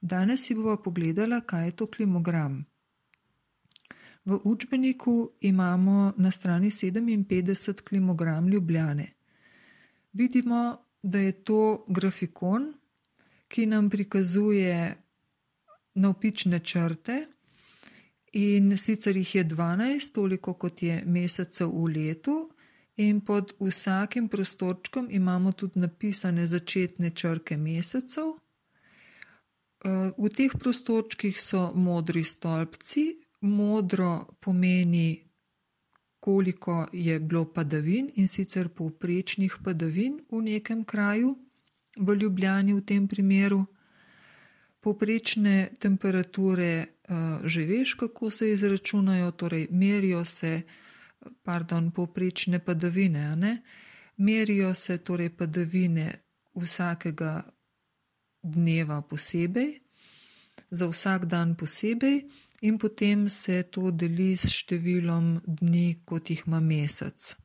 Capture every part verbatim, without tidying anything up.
Danes si bova pogledala, kaj je to klimogram. V učbeniku imamo na strani sedeminpetdeset klimogram Ljubljane. Vidimo, da je to grafikon, ki nam prikazuje navpične črte in sicer jih je dvanajst, toliko kot je mesecev v letu, in pod vsakim prostorčkom imamo tudi napisane začetne črke mesecev. V teh prostorčkih so modri stolpci. Modro pomeni, koliko je bilo padavin, in sicer povprečnih padavin v nekem kraju, v Ljubljani v tem primeru. Povprečne temperature že veš, kako se izračunajo, torej merijo se, pardon, povprečne padavine, a ne? Merijo se torej padavine vsakega dneva posebej, za vsak dan posebej, in potem se to deli s številom dni, kot jih ima mesec.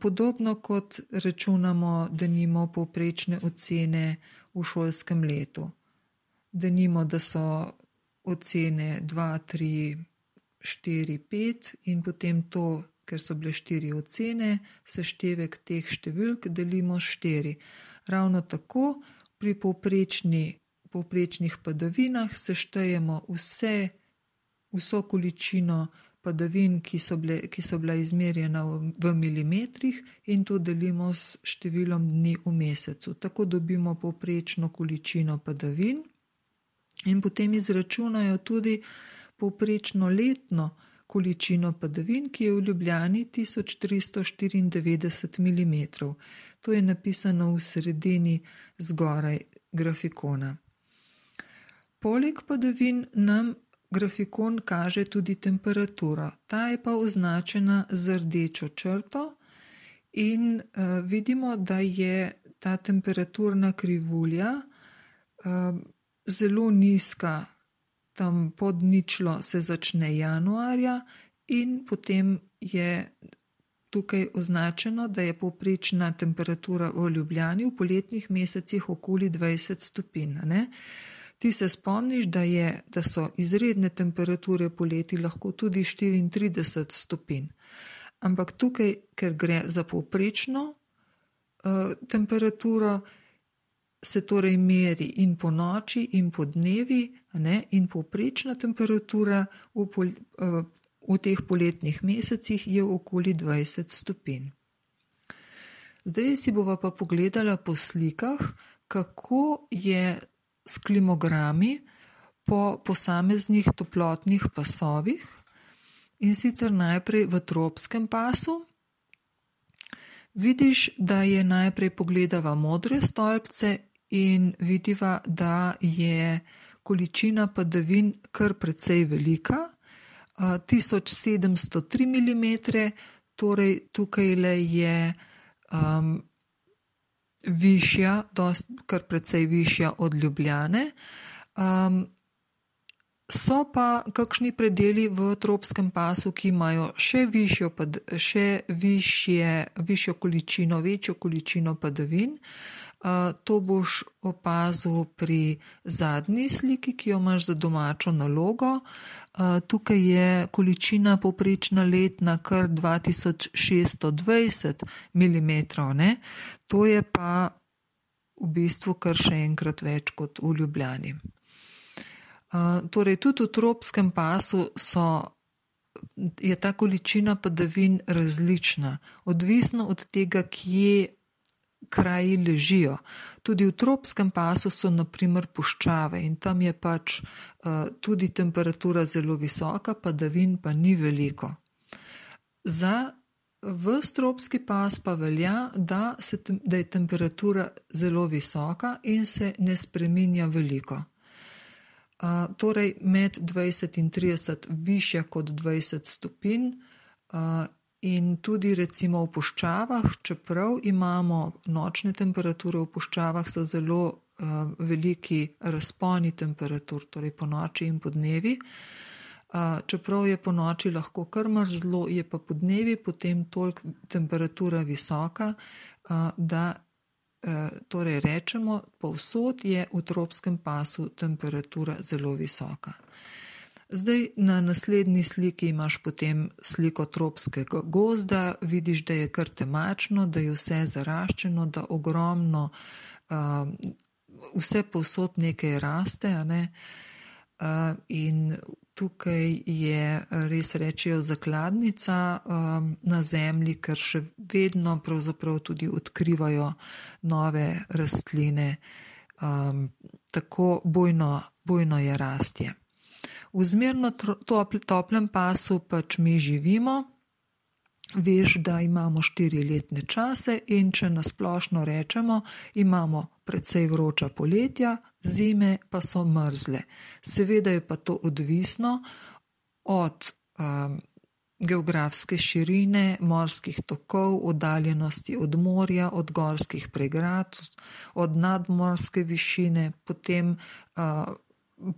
Podobno kot računamo, denimo, povprečne ocene v šolskem letu. Denimo, da so ocene dva, tri, štiri, pet in potem to, ker so bile štiri ocene, seštevek teh številk delimo s štiri. Ravno tako pri povprečni povprečnih padavinah seštejemo vse, vso količino padavin, ki so bile, ki so bila izmerjena v, v milimetrih, in to delimo s številom dni v mesecu. Tako dobimo povprečno količino padavin in potem izračunajo tudi povprečno letno količino padavin, ki je v Ljubljani tisoč tristo štiriindevetdeset milimetrov. To je napisano v sredini zgoraj grafikona. Poleg padavin nam grafikon kaže tudi temperaturo. Ta je pa označena z rdečo črto in uh, vidimo, da je ta temperaturna krivulja uh, zelo nizka. Tam pod ničlo se začne januarja in potem je tukaj označeno, da je povprečna temperatura v Ljubljani v poletnih mesecih okoli dvajset stopinj, ne? Ti se spomniš, da, je, da so izredne temperature poleti lahko tudi štiriintrideset stopinj. Ampak tukaj, ker gre za povprečno uh, temperaturo, se torej meri in po noči in po dnevi, ne? In povprečna temperatura v, pol, uh, v teh poletnih mesecih je okoli dvajset stopinj. Zdaj si bova pa pogledala po slikah, kako je s klimogrami po posameznih toplotnih pasovih, in sicer najprej v tropskem pasu. Vidiš, da je najprej pogledava modre stolpce in vidiva, da je količina padavin kar precej velika, tisoč sedemsto tri milimetre, torej tukaj le je um, višja, dost, kar precej višja od Ljubljane. Um, so pa kakšni predeli v tropskem pasu, ki imajo še višjo, še višje, višjo količino, večjo količino padavin. Uh, to boš opazil pri zadnji sliki, ki jo imaš za domačo nalogo. Uh, tukaj je količina povprečna letna kar dva tisoč šeststo dvajset milimetrov, ne? To je pa v bistvu kar še enkrat več kot v Ljubljani. Uh, torej, tudi v tropskem pasu so, je ta količina padavin različna, odvisno od tega, kje kraji ležijo. Tudi v tropskem pasu so na primer puščave in tam je pač uh, tudi temperatura zelo visoka, padavin pa ni veliko. Za ves tropski pas pa velja, da, se, da je temperatura zelo visoka in se ne spreminja veliko. Uh, torej med dvajset in trideset višja kot dvajset stopinj, uh, in tudi recimo v puščavah, čeprav imamo nočne temperature, v puščavah so zelo uh, veliki razponi temperatur, torej po noči in po dnevi. Uh, čeprav je po noči lahko kar mrzlo, je pa po dnevi potem toliko temperatura visoka, uh, da torej rečemo, povsod je v tropskem pasu temperatura zelo visoka. Zdaj na naslednji sliki imaš potem sliko tropskega gozda, vidiš, da je kar temačno, da je vse zaraščeno, da ogromno, uh, vse povsod nekaj raste, a ne? Uh, in tukaj je, res rečejo, zakladnica um, na zemlji, ker še vedno pravzaprav tudi odkrivajo nove rastline, um, tako bujno, bujno je rastje. V zmerno toplem pasu pač mi živimo, veš, da imamo štiri letne čase in če nasplošno rečemo, imamo precej vroča poletja, zime pa so mrzle. Seveda je pa to odvisno od um, geografske širine, morskih tokov, oddaljenosti od morja, od gorskih pregrad, od nadmorske višine, potem uh,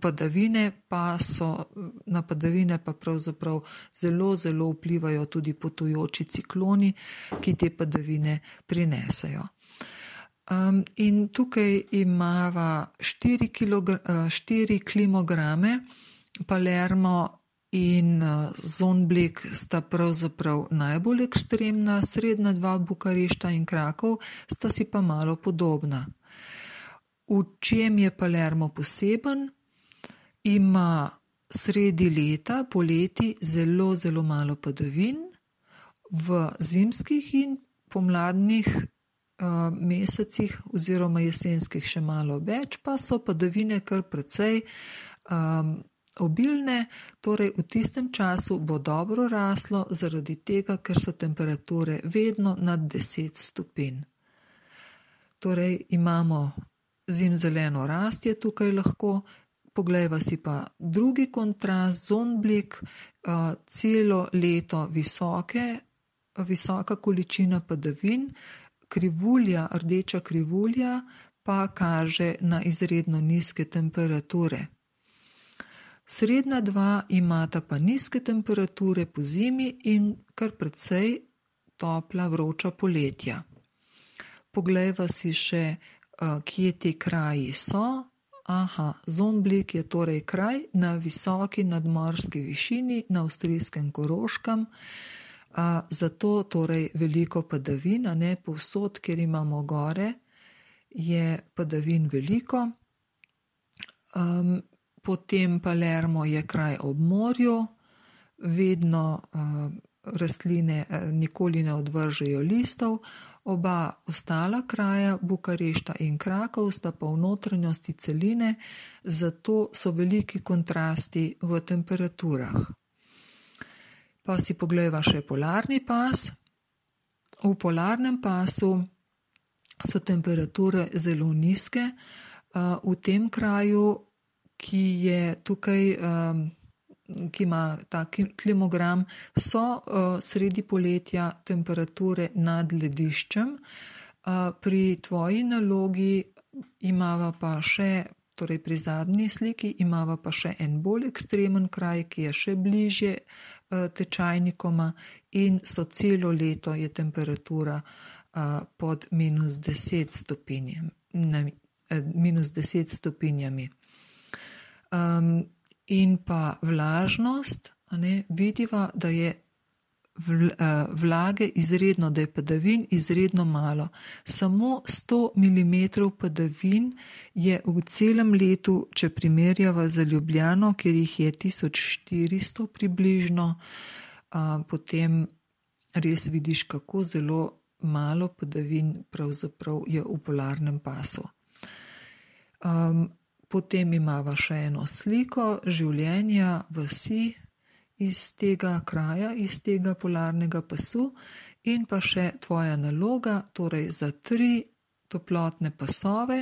padavine pa so, na padavine pa pravzaprav zelo, zelo vplivajo tudi potujoči cikloni, ki te padavine prinesajo. Um, in tukaj imava štiri, kilogra- štiri klimograme, Palermo in uh, Zondblik sta pravzaprav najbolj ekstremna, srednja dva Bukarešta in Krakov sta si pa malo podobna. V čem je Palermo poseben? Ima sredi leta, poleti, zelo, zelo malo padavin, v zimskih in pomladnih uh, mesecih oziroma jesenskih še malo več, pa so padavine kar precej um, obilne, torej v tistem času bo dobro raslo zaradi tega, ker so temperature vedno nad deset stopinj. Torej imamo zimzeleno rastje tukaj lahko. Poglejva si pa drugi kontrast, Zondblik, uh, celo leto visoke, visoka količina padavin, krivulja, rdeča krivulja pa kaže na izredno nizke temperature. Srednja dva imata pa nizke temperature po zimi in kar precej topla vroča poletja. Poglejva si še, uh, kje ti kraji so. Aha, Zondblik je torej kraj na visoki nadmorski višini na avstrijskem Koroškem, a, zato torej veliko padavin, a ne povsod, kjer imamo gore, je padavin veliko. Um, potem Palermo je kraj ob morju, vedno uh, rastline uh, nikoli ne odvržejo listov. Oba ostala kraja, Bukarešta in Krakov, sta pa v notranjosti celine, zato so veliki kontrasti v temperaturah. Pa si poglejva še polarni pas. V polarnem pasu so temperature zelo nizke. V tem kraju, ki je tukaj, ki ima ta klimogram, so uh, sredi poletja temperature nad lediščem. Uh, pri tvoji nalogi imava pa še, torej pri zadnji sliki, imava pa še en bolj ekstremen kraj, ki je še bližje uh, tečajnikoma in so celo leto je temperatura uh, pod minus deset stopinjem, ne, minus deset stopinjami. Um, In pa vlažnost, a ne, vidiva, da je vlage izredno, da je padavin izredno malo. Samo sto milimetrov padavin je v celem letu, če primerjava za Ljubljano, kjer jih je tisoč štiristo približno, a, potem res vidiš, kako zelo malo padavin pravzaprav je v polarnem pasu. Um, Potem imava še eno sliko življenja vasi iz tega kraja, iz tega polarnega pasu in pa še tvoja naloga, torej za tri toplotne pasove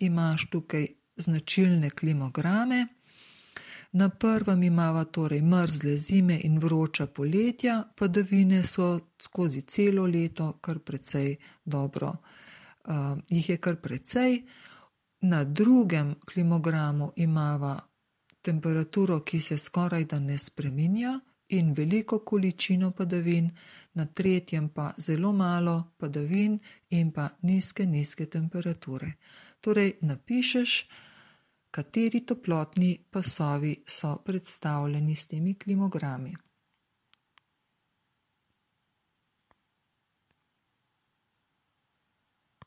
imaš tukaj značilne klimograme. Na prvem imava torej mrzle zime in vroča poletja, padavine so skozi celo leto kar precej dobro, uh, jih je kar precej. Na drugem klimogramu imava temperaturo, ki se skoraj da ne spreminja in veliko količino padavin, na tretjem pa zelo malo padavin in pa nizke, nizke temperature. Torej napišeš, kateri toplotni pasovi so predstavljeni s temi klimogrami.